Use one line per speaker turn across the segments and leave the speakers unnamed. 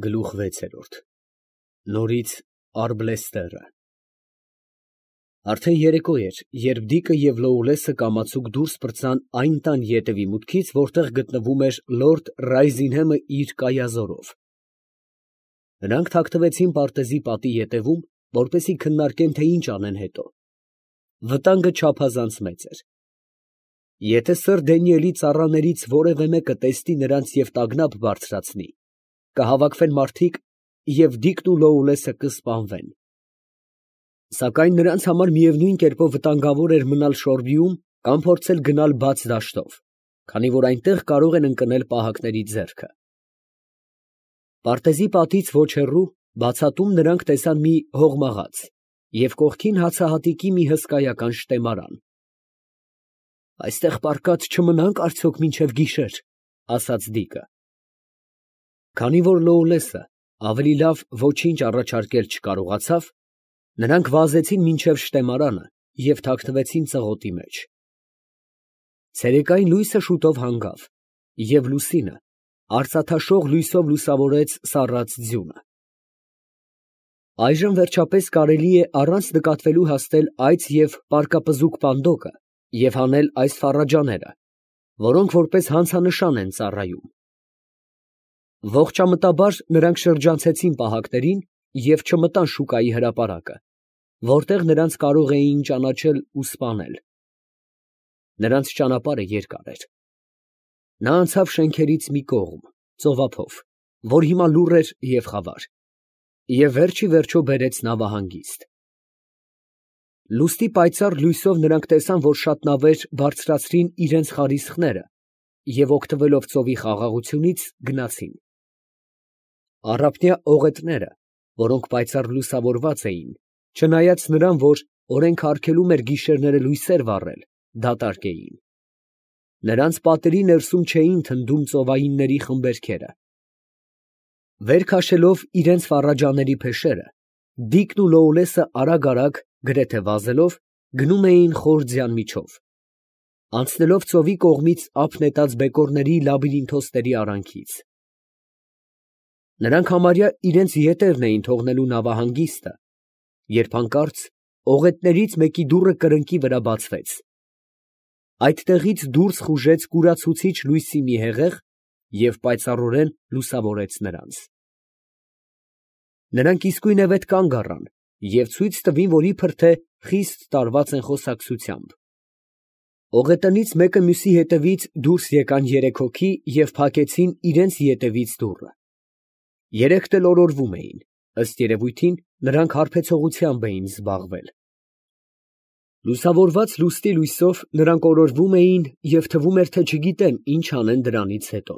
Գլուխ 6 Նորից Արբլեստերը Արդեն երեկո էր, երբ Դիկը և Լոուլեսը կամացուկ դուրս պրծան այն տան ետևի մուտքից, որտեղ գտնվում էր լորդ Ռայզինհեմը իր կայազորով։ Նրանք թաքնվեցին պարտեզի պատի ետևում, որպեսզի քննարկեն, թե ինչ անեն հետո։ Վտանգը չափազանց մեծ էր։ Եթե սըր Դանիելի ծառաներից որևէ մեկը տեսնի նրանց և տագնապ բարձրացնի, կհավաքվեն մարդիկ և Դիկն ու Լոուլեսը կսպանվեն։ Սակայն նրանց համար միևնույն կերպով վտանգավոր էր մնալ Շորբիում կամ փորձել գնալ բաց դաշտով, քանի որ այնտեղ կարող են ընկնել պահակների ձեռքը։ Պարտեզի պատից ոչ հեռու, բացատում նրանք տեսան մի հողմաղաց և կողքին հացահատիկի մի հսկայական շտեմարան։ «Այստեղ պառկած չմնանք արդյոք մինչև գիշեր», ֊ ասաց Դիկը։ Քանի որ Լոուլեսը ավելի լավ ոչինչ առաջարկել չկարողացավ, նրանք վազեցին մինչև շտեմարանը և թաքնվեցին ծղոտի մեջ։ Ցերեկային լույսը շուտով հանգավ, և լուսինը արծաթաշող լույսով լուսավորեց սառած ձյունը։ Այժմ վերջապես կարելի է առանց նկատվելու հասնել այծ և պարկապզուկ պանդոկը և հանել այս ֆառաջաները, որոնք որպես հանցանշան են ծառայում։ Ողջամտաբար նրանք շրջանցեցին պահակներին և չմտան շուկայի հրապարակը, որտեղ նրանց կարող էին ճանաչել ու սպանել։ Նրանց ճանապարհը երկար էր։ Նա անցավ շենքերից մի կողմ, ծովափով, որ հիմա լուռ էր և խավար, և վերջ ի վերջո բերեց նավահանգիստ։ Լուսնի պայծառ լույսով նրանք տեսան, որ շատ նավեր բարձրացրին իրենց խարիսխները և, օգտվելով ծովի խաղաղությունից, գնացին։ Առափնյա օղետները, որոնք պայծառ լուսավորված էին, չնայած նրան, որ օրենքը արգելում էր գիշերները լույսեր վառել, դատարկ էին։ Նրանց պատերի ներսում չէին թնդում ծովայինների խմբերքերը։ Վեր քաշելով իրենց ֆառաջաների փեշերը, Դիկն ու Լոուլեսը արագ, գրեթե վազելով, գնում էին խոր ձյան միջով, անցնելով ծովի կողմից ափ նետած բեկորների լաբիրինթոսների արանքից։ Նրանք համարյա իրենց ետևն էին թողնելու նավահանգիստը, երբ հանկարծ օղետներից մեկի դուռը կրկնակի վրա բացվեց։ Այդտեղից դուրս խուժեց կուրացուցիչ լույսի մի հեղեղ և պայծառորեն լուսավորեց նրանց։ Նրանք իսկույնևեթ կանգ առան և ցույց տվին, որ իբր թե խիստ տարված են խոսակցությամբ։ Օղետնից մեկը մյուսի ետևից դուրս եկան երեք հոգի և փակեցին իրենց ետևից դուռը։ Երեքն էլ օրորվում էին, ըստ երևույթին, նրանք հարբեցողությամբ էին զբաղվել։ Լուսավորված լուսնի լույսով նրանք օրորվում էին և թվում էր, թե չգիտեն ինչ անեն դրանից հետո։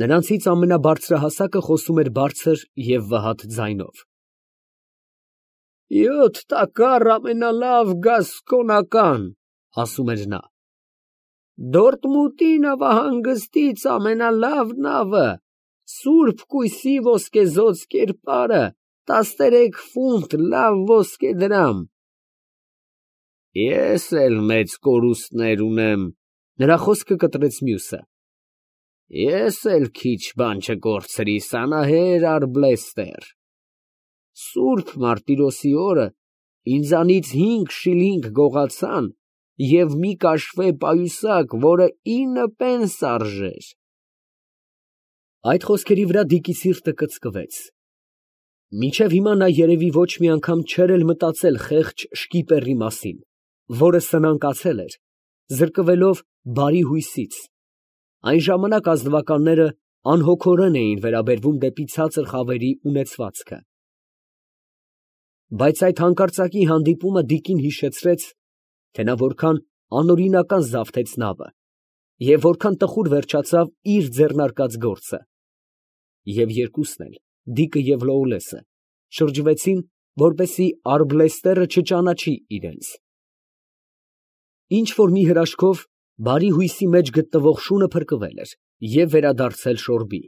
Նրանցից ամենաբարձրահասակը խոսում էր բարձր և վհատ ձայնով. «Յոթ տակառ ամենալավ գասկոնական, ֊ ասում էր նա, ֊ Դորտմուտի նավահանգստից ամենալավ նավը, սուրբ կույսի ոսկեզօծ կերպարը, 13 ֆունտ լավ ոսկեդրամ»։ Ես էլ մեծ կորուստներ ունեմ, ֊ նրա խոսքը կտրեց մյուսը, ֊ ես էլ քիչ բան չկորցրի, սանահեր Արբլեստեր, սուրբ Մարտիրոսի օրը ինձանից 5 շիլինգ գողացան և մի կաշվե պայուսակ, որը 9 պենս արժեր։ Այդ խոսքերի վրա Դիկի սիրտը կծկվեց։ Մինչև հիմա նա երևի ոչ մի անգամ չէր էլ մտածել խեղճ շկիպերի մասին, որը սնանկացել էր, զրկվելով բարի հույսից։ Այն ժամանակ ազնվականները անհոգորեն էին վերաբերվում դեպի ցածր խավերի ունեցվածքը։ Բայց այդ հանկարծակի հանդիպումը Դիկին հիշեցրեց, թե նա որքան անօրինական զավթեց նավը և որքան տխուր վերջացավ իր ձեռնարկած գործը։ Եվ երկուսն էլ, Դիկը և Լոուլեսը, շրջվեցին, որպեսզի Արբլեստերը չճանաչի իրենց։ Ինչ֊որ մի հրաշքով բարի հույսի մեջ գտնվող շունը փրկվել էր և վերադարձել Շորբի։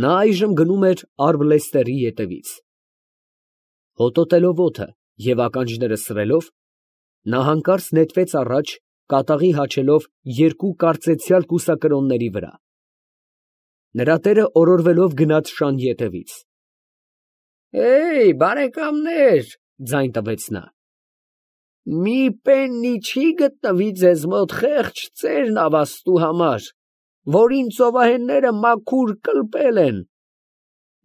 Նա այժմ գնում էր Արբլեստերի ետևից։ Հոտոտելով օդը և ականջները սրելով, նա հանկարծ նետվեց առաջ, կատաղի հաչելով երկու կարծեցյալ կուսակրոնների վրա։ Նրա տերը օրորվելով գնաց շան ետևից։ Բարեկամներ, ձայն տվեց նա։ Մի պեննի չի գտնվի ձեզ մոտ խեղճ ծեր նավաստու համար, որին ծովահենները մաքուր կլպել են։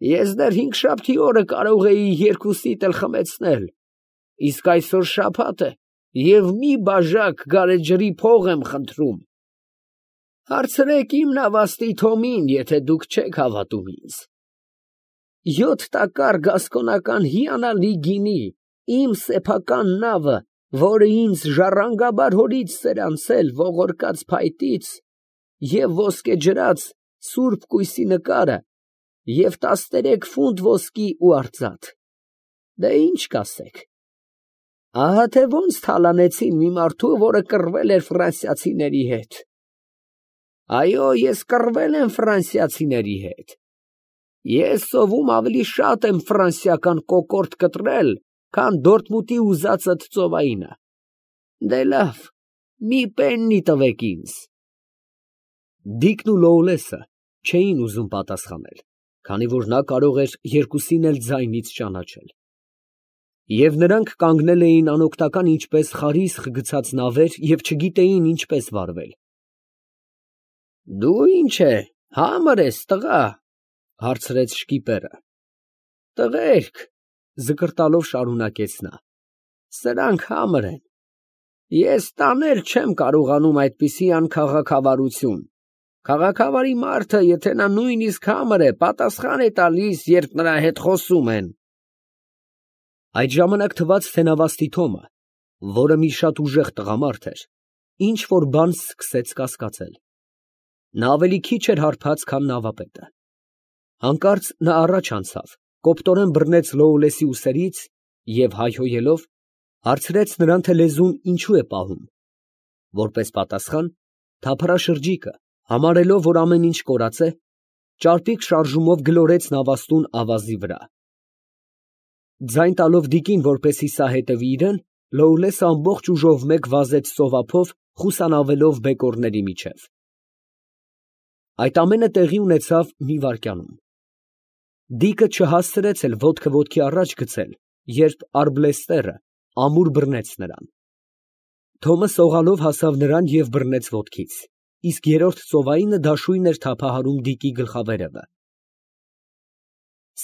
Ես դեռ հինգշաբթի օրը կարող էի երկուսիդ էլ խմեցնել, իսկ այսօր շաբաթ է և մի բաժակ գարեջրի փող եմ խնդրում։ Հարցրեք իմ նավաստի Թոմին, եթե դուք չեք հավատում ինձ։ 7 տակառ գասկոնական հիանալի գինի, իմ սեփական նավը, որը ինձ ժառանգաբար հորից սերանցել ողորկած փայտից, և ոսկեջրած սուրբ կույսի նկարը, և 13 ֆունտ ոսկի ու արծաթ։ Դե ինչ կասեք։ Ահա թե ոնց թալանեցին մի մարդու, որը կռվել էր ֆրանսիացիների հետ։ Այո, ես կռվել եմ ֆրանսիացիների հետ։ Ես սովում ավելի շատ եմ ֆրանսիական կոկորդ կտրել, քան Դորտմունդի ուզածդ ծովայինը։ Դե լավ, մի պեննի տվեք ինձ։ Դիկն ու Լոուլեսը չէին ուզում պատասխանել, քանի որ նա կարող էր երկուսին էլ ձայնից ճանաչել։ Եվ նրանք կանգնել էին անօգնական ինչպես խարիսխ գցած նավեր և չգիտեին ինչպես վարվել։ Դու ինչ է, համր ես, տղա, հարցրեց շկիպերը։ Տղերք, զկրտալով շարունակեց նա, սրանք համր են։ Ես տանել չեմ կարողանում այդպիսի անքաղաքավարություն։ Քաղաքավարի մարդը, եթե նա նույնիսկ համր է, պատասխան է տալիս, երբ նրա հետ խոսում են։ Այդ ժամանակ թվաց, թե նավաստի Թոմը, որը մի շատ ուժեղ տղամարդ էր, ինչ-որ բան սկսեց կասկածել։ Նա ավելի քիչ էր հարբած, քան նավապետը։ Հանկարծ նա առաջ անցավ, կոպտորեն բռնեց Լոուլեսի ուսերից և հայհոյելով հարցրեց նրան, թե լեզուն ինչու է պահում։ Որպես պատասխան, թափառաշրջիկը, համարելով, որ ամեն ինչ կորած է, ճարպիկ շարժումով գլորեց նավաստուն ավազի վրա։ Ձայն տալով դիկին, որպեսզի սա հետևի իրեն, Լոուլեսը ամբողջ ուժով մեկ վազեց ծովափով, խուսանավելով բեկորների միջև։ Այդ ամենը տեղի ունեցավ մի վայրկյանում։ Դիկը չհասցրեց էլ ոտքը ոտքի առաջ գցել, երբ Արբլեստերը ամուր բռնեց նրան։ Թոմը սողալով հասավ նրան և բռնեց ոտքից, իսկ երրորդ ծովայինը դաշույն էր թափահարում դիկի գլխավերևը։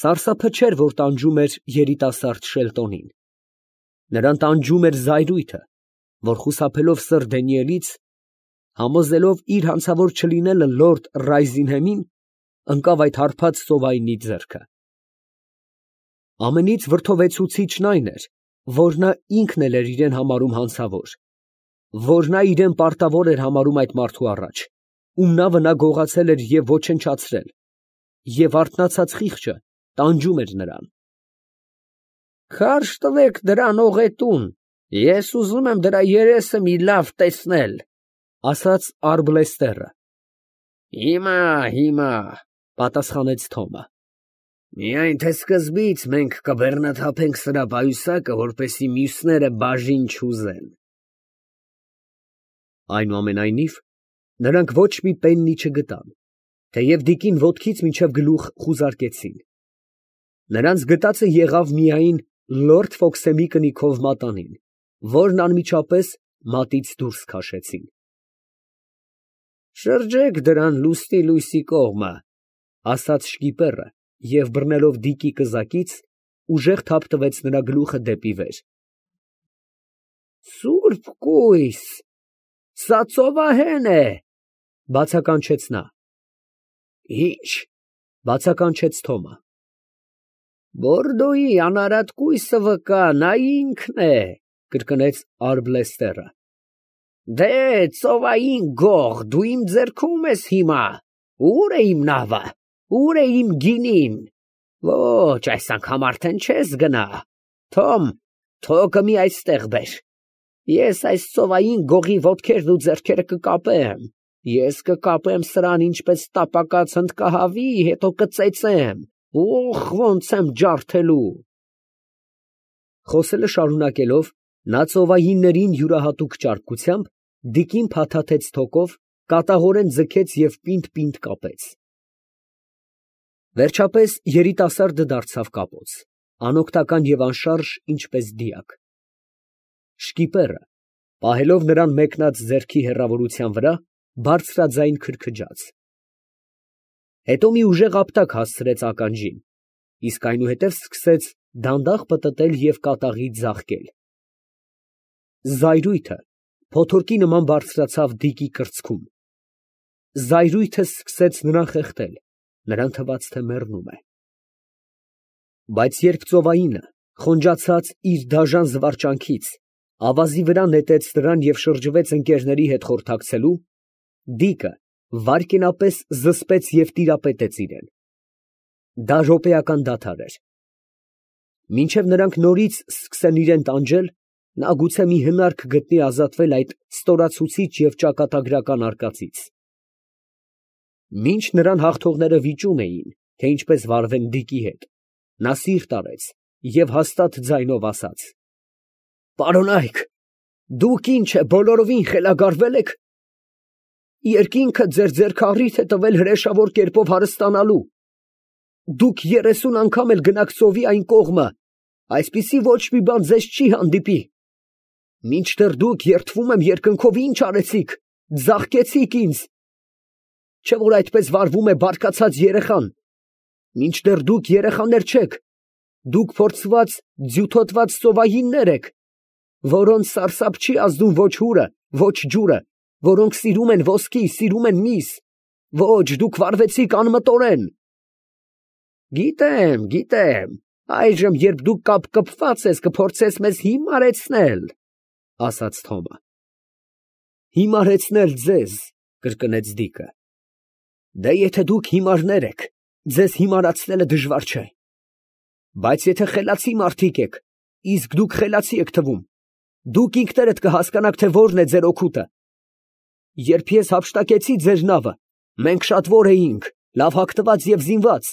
Սարսափը չէր, որ տանջում էր երիտասարդ Շելտոնին։ Նրան տանջում էր զայրույթը, որ խուսափելով սըր Դենիելից, համոզելով իր հանցավոր չլինելը լորդ Ռայզինհեմին, ընկավ այդ հարբած ծովայինի ձեռքը։ Ամենից վրդովեցուցիչն այն էր, որ նա ինքն էլ էր իրեն համարում հանցավոր, որ նա իրեն պարտավոր էր համարում այդ մարդու առաջ, ում նավը նա գողացել էր և ոչնչացրել, և արթնացած խիղճը տանջում էր նրան։ Քարշ տվեք դրան ողետուն, ես ուզում եմ դրա երեսը մի լավ տեսնել, ասաց Արբլեստերը։ Հիմա, պատասխանեց Թոմը։ Միայն թե սկզբից մենք կբեռնաթափենք սրա պայուսակը, որպեսզի մյուսները բաժին չուզեն։ Այնուամենայնիվ, նրանք ոչ մի պեննի չգտան, թեև դիկին ոտքից մինչև գլուխ խուզարկեցին։ Նրանց գտածը եղավ միայն լորդ Ֆոքսեմի կնիքով մատանին, որն անմիջապես մատից դուրս քաշեցին։ Շրջեք դրան լուսնի լույսի կողմը, ասաց շկիպերը և բռնելով դիկի կզակից, ուժեղ թափ տվեց նրա գլուխը դեպի վեր։ Սուրբ կույս, սա ծովահեն է, բացականչեց նա։ Ինչ, բացականչեց Թոմը։ Բորդոյի անարատ կույսը վկա, նա ինքն է, կրկնեց Արբլեստերը։ Դե, ծովային գող, դու իմ ձեռքում ես հիմա, ուր է իմ նավը, ուր է իմ գինին։ Ոչ, այս անգամ արդեն չես գնա։ Թոմ, թոկը մի այստեղ բեր։ Ես այս ծովային գողի ոտքերն ու ձեռքերը կկապեմ։ Ես կկապեմ սրան ինչպես տապակած հնդկահավի, հետո կծեծեմ։ Օխ, ոնց եմ ջարդելու։ Խոսելը շարունակելով, նա ծովայիններին յուրահատուկ ճարպկությամբ դիկին փաթաթեց թոկով, կատաղորեն ձգեց և պինդ֊պինդ կապեց։ Վերջապես երիտասարդը դարձավ կապոց, անօգնական և անշարժ, ինչպես դիակ։ Շկիպերը, պահելով նրան մեկնած ձեռքի հեռավորության վրա, բարձրաձայն քրքջաց։ Հետո մի ուժեղ ապտակ հասցրեց ականջին, իսկ այնուհետև սկսեց դանդաղ պտտել և կատաղի ձաղկել։ Զայրույթը փոթորկի նման բարձրացավ Դիկի կրծքում։ Զայրույթը սկսեց նրան խեղդել, նրան թվաց, թե մեռնում է։ Բայց երբ ծովայինը, խոնջացած իր դաժան զվարճանքից, ավազի վրա նետեց նրան և շրջվեց ընկերների հետ խորհրդակցելու, Դիկը վայրկենապես զսպեց և տիրապետեց իրան։ Դա րոպեական դադար էր։ Մինչև նրանք նորից սկսեն իրան տանջել, նա գուցե մի հնարք գտնի ազատվել այդ ստորացուցիչ և ճակատագրական արկածից։ Մինչ նրան հաղթողները վիճում էին, թե ինչպես վարվեն Դիկի հետ, նա սիրտ արեց և հաստատ ձայնով ասաց. «Պարոնայք, դուք ինչ է, բոլորովին խելագարվե՞լ եք։ Երկինքը ձեր ձեռքը առիթ է տվել հրեշավոր կերպով հարստանալու։ Դուք 30 անգամ էլ գնաք ծովի այն կողմը, այսպիսի ոչ մի բան ձեզ չի հանդիպի։ Մինչդեռ դուք, երդվում եմ երկնքով, ինչ արեցիք, ձաղկեցիք ինձ։ Չէ՞ որ այդպես վարվում է բարկացած երեխան։ Մինչդեռ դուք երեխաներ չեք, դուք փորձված, ձյութոտված ծովայիններ եք, որոնց սարսափ չի ազդում ոչ հուրը, ոչ ջուրը, որոնք սիրում են ոսկի, սիրում են միս։ Ոչ, դուք վարվեցիք անմտորեն»։ Գիտեմ, այժմ, երբ դու կապկպված ես, կփորձես մեզ հիմարեցնել, ֊ ասաց Թոմը։ Հիմարեցնել ձեզ, ֊ կրկնեց Դիկը։ Դե եթե դուք հիմարներ եք, ձեզ հիմարացնելը դժվար չէ։ Բայց եթե խելացի մարդիկ եք, իսկ դուք խելացի եք թվում, դուք ինքներդ կհասկանաք, թե որն է ձեր օգուտը։ Երբ ես հափշտակեցի ձեր նավը, մենք շատ որ էինք, լավ հագնված և զինված։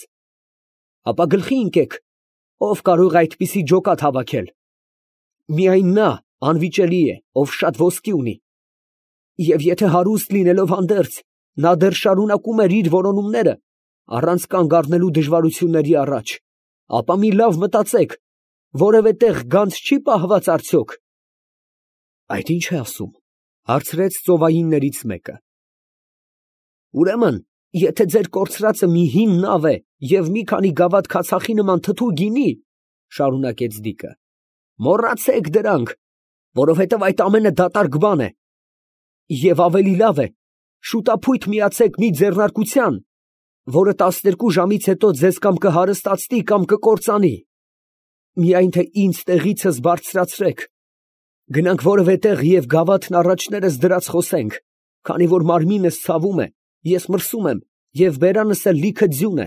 Ապա գլխի ընկեք, ով կարող է այդպիսի ջոկատ հավաքել։ Միայն նա անվիճելի է, ով շատ ոսկի ունի։ Եվ եթե հարուստ լինելով հանդերձ, նա դեռ շարունակում էր իր որոնումները, առանց կանգ առնելու դժվարությունների առաջ, ապա մի լավ մտածեք, որևէ տեղ գանձ չի պահված արդյոք։ Այդ ի՞նչ է ասում, ֊ հարցրեց ծովայիններից մեկը։ Ուրեմն, եթե ձեր կորցրածը մի հին նավ է և մի քանի գավաթ քացախի նման թթու գինի, ֊ շարունակեց Դիկը, ֊ մոռացեք դրանք, որովհետև այդ ամենը դատարկ բան է։ Եվ ավելի լավ է, շուտափույթ միացեք մի ձեռնարկության, որը 12 ժամից հետո ձեզ կամ կհարստացնի, կամ կկործանի։ Միայն թե ինձ տեղիցս բարձրացրեք, գնանք որևէ տեղ և գավաթն առաջներս դրած խոսենք, քանի որ մարմինս ցավում է, ես մրսում եմ, և բերանս էլ լիքը ձյուն է։